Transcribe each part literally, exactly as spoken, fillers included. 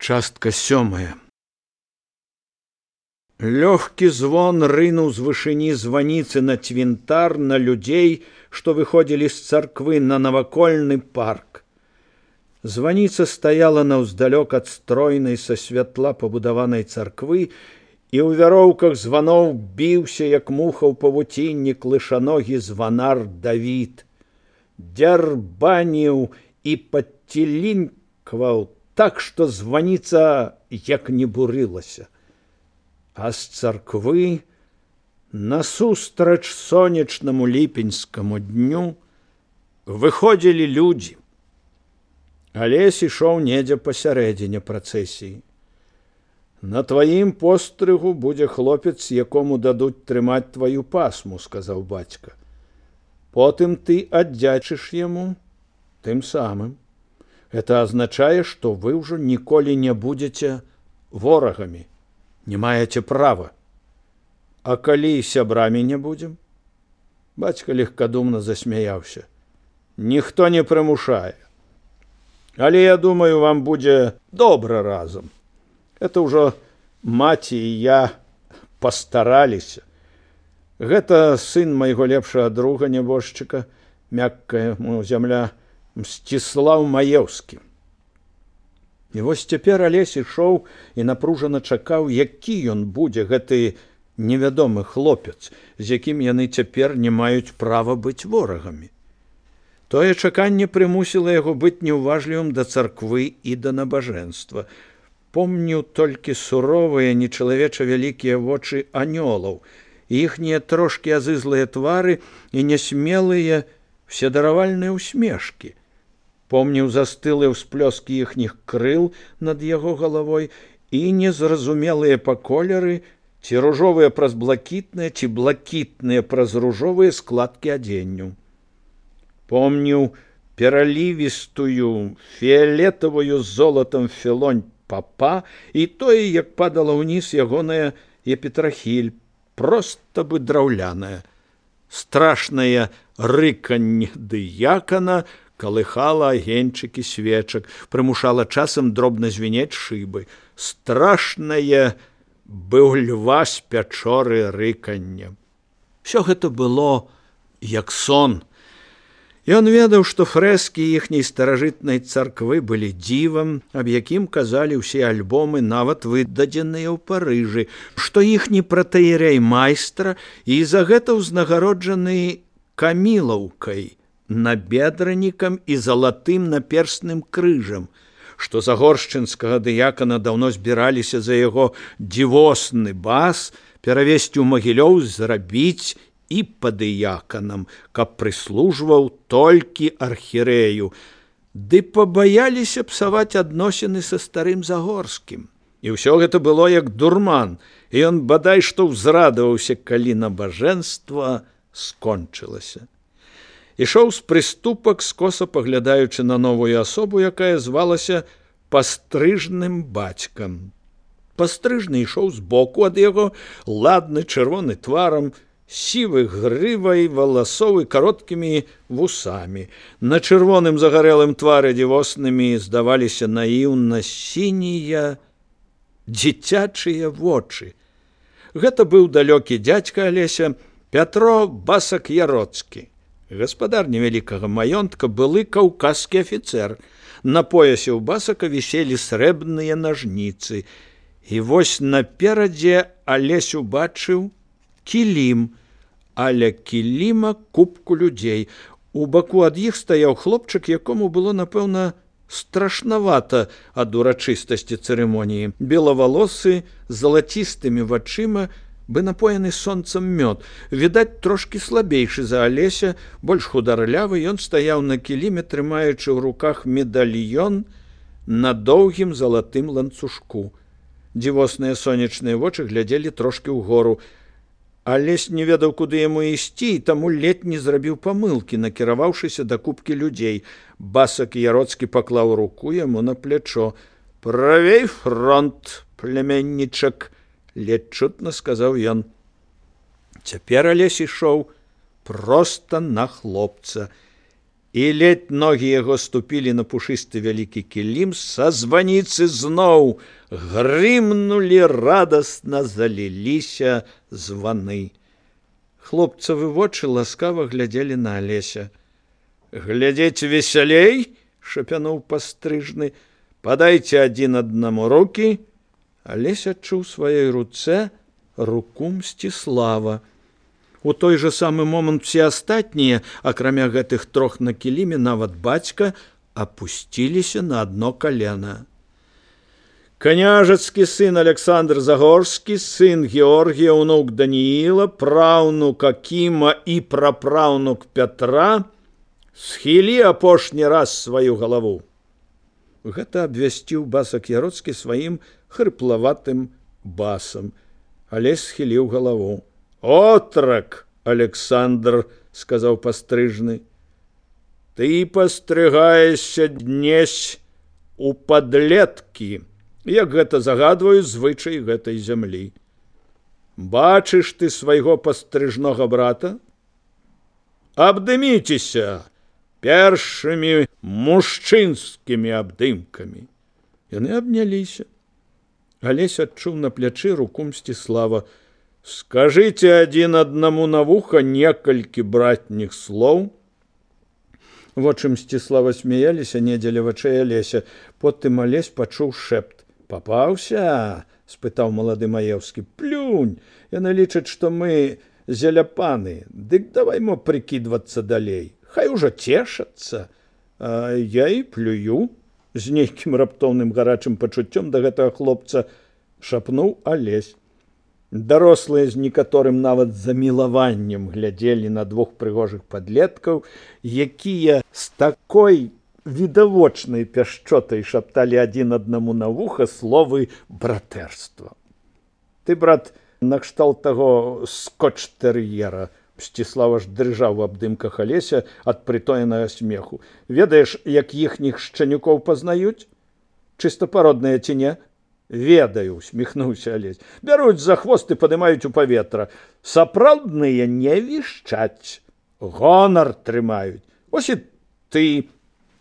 Частка сёмая. Лёгкі звон рынуў з вышыні званіцы на цвінтар, на людзей, што выходзілі з царквы на навакольны парк. Званіца стаяла наўздалёк ад стройнай са святла пабудаванай царквы, і ў вяроўках званоў біўся, як муха ў павуцінні, клышаногі званар Давід. Дзярбаніў і падцілінкваў так, што званіца як не бурылася. А з царквы насустрач сонечнаму ліпеньскаму дню выходзілі людзі. Алесь ішоў недзе пасярэдзіне працэсіі. На тваім пострыгу будзе хлопец, якому дадуць трымаць тваю пасму, сказаў бацька. Потым ты аддзячыш яму тым самым. Это азначае, што вы ўжо ніколі не будзеце ворагамі, не маеце права. А калі сябрамі не будзем? Бацька легкадумна засмяяўся. Ніхто не прымушае. Але я думаю, вам будзе добра разам. Это ўжо маці і я пастараліся. Гэта сын майго лепшага друга нябожчыка, мяккая му зямля, Мсціслаў Маеўскі. І вось цяпер Алесь ішоў і напружана чакаў, які ён будзе, гэты невядомы хлопец, з якім яны цяпер не маюць права быць ворагамі. Тое чаканне прымусіла яго быць неўважлівым да царквы і да набажэнства. Помніў толькі суровыя, нечалавеча вялікія вочы анёлаў, іхнія трошкі азызлыя твары і нясмелыя вседаравальныя ўсмешкі. Помніў застылыя ўсплёскі іхніх крыл над яго галавой і незразумелыя па колеры, ці ружовыя праз блакітныя, ці блакітныя праз ружовыя складкі адзенню. Помніў пералівістую, фіялетавую з золатам філонь папа і тое, як падала ўніз ягоная епітрахіль, проста бы драўляная. Страшнае рыканне дыякана калыхала агеньчыкі свечак, прымушала часам дробна звінець шыбы. Страшнае быў льва з пячоры рыканне. Усё гэта было як сон. Ён ведаў, што фрэскі іхняй старажытнай царквы былі дзівам, аб якім казалі ўсе альбомы, нават выдадзеныя ў Парыжы, што іхні пратэерэй майстра і за гэта ўзнагароджаны камілаўкай, набедранікам і залатым наперстным крыжам, што загоршчынскага дыякана даўно збіраліся за яго дзівосны бас перавесці ў Магілёў, зрабіць і падыяканам, каб прыслужваў толькі архірэю, ды пабаяліся псаваць адносіны са старым Загорскім. І ўсё гэта было як дурман, і ён бадай што ўзрадаваўся, калі набажэнства скончылася. Ішоў з прыступак, скоса паглядаючы на новую асобу, якая звалася пастрыжным бацькам. Пастрыжны ішоў збоку ад яго, ладны, чырвоны тварам, сівы грывай валасоў і кароткімі вусамі. На чырвоным загарэлым твары дзівоснымі здаваліся наіўна сінія дзіцячыя вочы. Гэта быў далёкі дзядзька Алеся, Пятро Басак-Яроцкі. Гаспадар невялікага маёнтка, былы каўказскі афіцэр. На поясе ў Басака віселі срэбныя нажніцы. І вось наперадзе Алесь убачыў кілім, а ля кіліма купку людзей. У баку ад іх стаяў хлопчык, якому было, напэўна, страшнавата ад урачыстасці цырымоніі. Белавалосы, з залацістымі вачыма, бы напоены сонцам мёд. Відаць, трошкі слабейшы за Алеся, больш хударлявы, ён стаяў на кіліме, трымаючы ў руках медальён на доўгім залатым ланцужку. Дзівосныя сонечныя вочы глядзелі трошкі ўгору. Алесь не ведаў, куды яму ісці, і таму ледзь не зрабіў памылкі, накіраваўшыся да купкі людзей. Басак-Яроцкі паклаў руку яму на плячо. «Правей фронт, племяннічак», ледзь чутна сказаў ён. Цяпер Алесь ішоў проста на хлопца. і ледь ногі яго ступілі на пушысты вялікі кілім, са званіцы зноў грымнулі, радасна заліліся званы. Хлопцавы вочы ласкава глядзелі на Алеся. «Глядзець весялей!» – шапянуў пастрыжны. «Падайце адзін аднаму рукі!» Алесь адчуў сваёй руцэ руку Мсціслава. У той жа самы момант все астатнія, акрамя гэтых трох на кіліме, нават бацька, апусціліся на адно калена. Княжацкі сын Александр Загорскі, сын Георгія, ўнук Данііла, праўнук Акіма і прапраўнук Пятра, схілі апошні раз сваю галаву. Гэта абвясціў басак Яроцкі сваім хрыплаватым басам. Алесь схіліў галаву. «Отрак, Александр, — сказаў пастрыжны, — ты пастрыгаешся днесь у падлеткі, як гэта загадваю звычай гэтай зямлі. Бачыш ты свайго пастрыжнога брата? Абдыміцеся першымі мужчынскімі абдымкамі». Яны абняліся. Алесь адчуў на плячы руку Мсціслава. «Скажите один одному на вухо некалькі братніх слоў». Вочы Мсціслава смяяліся, не дзеля вачэй Алеся. Потым Алесь пачуў шэпт. «Папаўся?» – спытаў малады Маеўскі. «Плюнь! Яны лічаць, што мы зеляпаны. Дык давай мо прыкідвацца далей. Хай ужо цешацца». «А я і плюю», – з нейкім раптоўным гарачым пачуццём да гэтага хлопца шапнуў Алесь. Дарослыя з некаторым нават замілаваннем глядзелі на двух прыгожых падлеткаў, якія з такой відавочнай пяшчотай шапталі адзін аднаму на вуха словы братэрства. «Ты, брат, накшталт таго скотч-тэр'ера», – Мсціслав аж дрыжаў у абдымках Алеся ад прытоенага смеху. «Ведаеш, як іхніх шчанюкоў пазнаюць? Чыстапародныя ці не?» «Ведаю», – усміхнуўся Алесь. «Бяруць за хвост і падымаюць у паветра. Сапраўдныя не вішчаць, гонар трымаюць. Вось і ты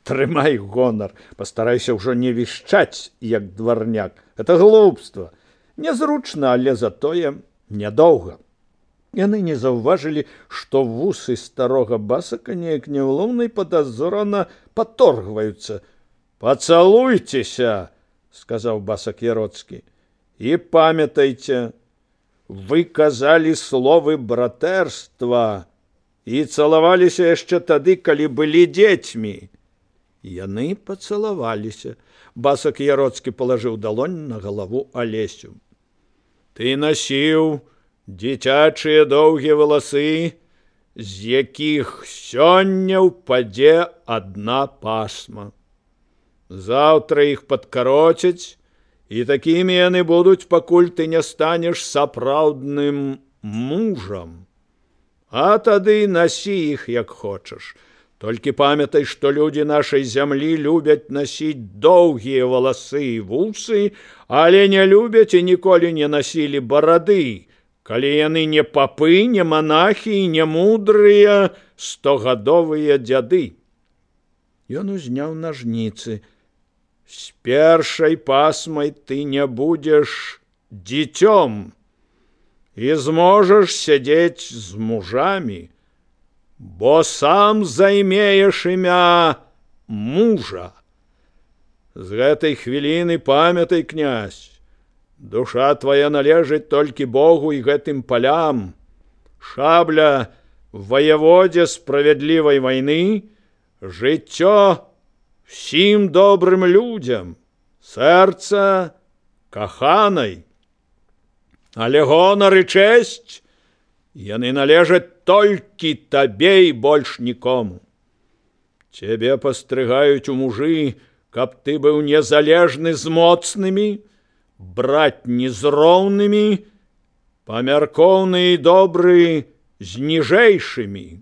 трымай гонар. Пастарайся ўжо не вішчаць, як дварняк. Это глупства. Нязручна, але затое нядоўга». Яны не заўважылі, што вусы старога басака неяк няўлоўна і падазрона паторгваюцца. «Пацалуйцеся!» – сказаў басак Яроцкі. «І памятайце, вы казалі словы братэрства і цалаваліся яшчэ тады, калі былі дзецьмі». Яны пацалаваліся. Басак Яроцкі палажыў далонь на галаву Алесю. «Ты насіў дзіцячыя доўгія валасы, з якіх сёння ўпадзе адна пасма. Заўтра іх падкароцяць, і такімі яны будуць, пакуль ты не станеш сапраўдным мужам. А тады насі іх, як хочаш. Толькі памятай, што людзі нашай зямлі любяць насіць доўгія валасы і вусы, але не любяць і ніколі не насілі барады, калі яны не папы, не манахі і не мудрыя стогадовыя дзяды». Ён узняў нажніцы. «З першай пасмай ты не будзеш дзіцём і зможаш сядзець з мужамі, бо сам займееш імя мужа. З гэтай хвіліны памятай, князь, душа твоя належыць толькі Богу і гэтым палям. Шабля воеводе справядлівай вайны, жыццё всім добрым людзям, сэрца каханай. Але гонар і чэсць яны належаць толькі табе і больш нікому. Цябе пастрыгаюць у мужы, каб ты быў незалежны з моцнымі, братні з роўнымі, памяркоўны і добры з ніжэйшымі».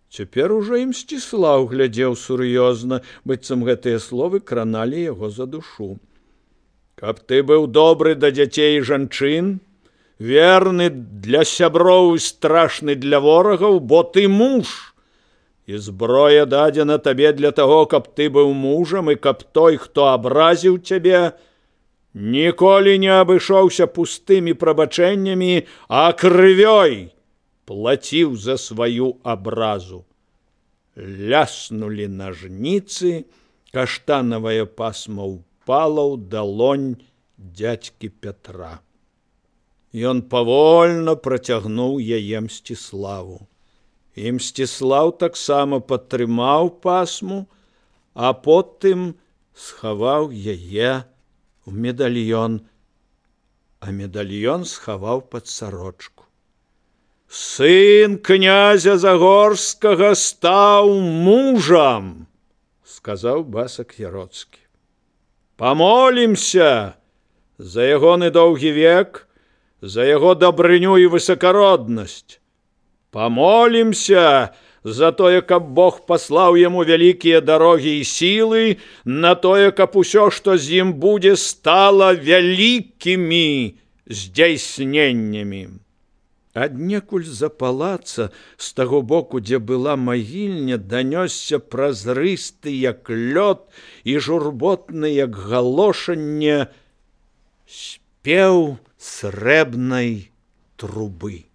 Цяпер ужо і Мсціслаў глядзеў сур'ёзна, быццам гэтыя словы краналі яго за душу. «Каб ты быў добры да дзяцей і жанчын, верны для сяброў і страшны для ворагаў, бо ты муж, і зброя дадзена табе для таго, каб ты быў мужам, і каб той, хто абразіў цябе, ніколі не абышоўся пустымі прабачэннямі, а крывёй плаціў за сваю абразу. Ляснулі нажніцы, каштанавая пасма ўпала ў далонь дзядзькі Пятра. Ён павольна працягнуў яе Мсціславу. І Мсціслаў таксама падтрымаў пасму, а потым схаваў яе ў медальён, а медальён схаваў пад сарочку. «Сын князя Загорскага стаў мужам», — сказаў Басак Яроцкі. «Памолімся за ягоны доўгі век, за яго дабрыню і высакароднасць. Памолімся за тое, каб Бог паслаў яму вялікія дарогі і сілы, на тое, каб усё, што з ім будзе, стала вялікімі здзяйсненнямі». Аднекуль з-за палаца, з таго боку, дзе была магільня, данёсся празрысты, як лёд, і журботны, як галошанне, спеў срэбнай трубы.